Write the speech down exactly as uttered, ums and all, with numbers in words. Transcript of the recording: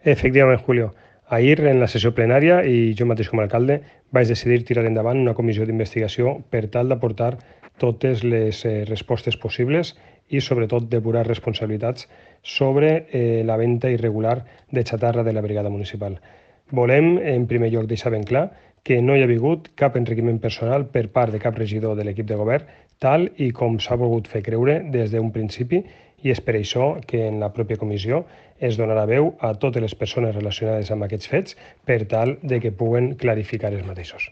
Efectivament, Julio. Ahir, en la sessió plenària, i jo mateix com a alcalde, vaig decidir tirar endavant una comissió d'investigació per tal d'aportar totes les eh, respostes possibles i, sobretot, depurar responsabilitats sobre eh, la venda irregular de xatarra de la brigada municipal. Volem, en primer lloc, deixar ben clar que no hi ha hagut cap enriquiment personal per part de cap regidor de l'equip de govern, tal i com s'ha volgut fer creure des d'un principi, i és per això que en la pròpia comissió es donarà veu a totes les persones relacionades amb aquests fets per tal de que puguen clarificar els mateixos.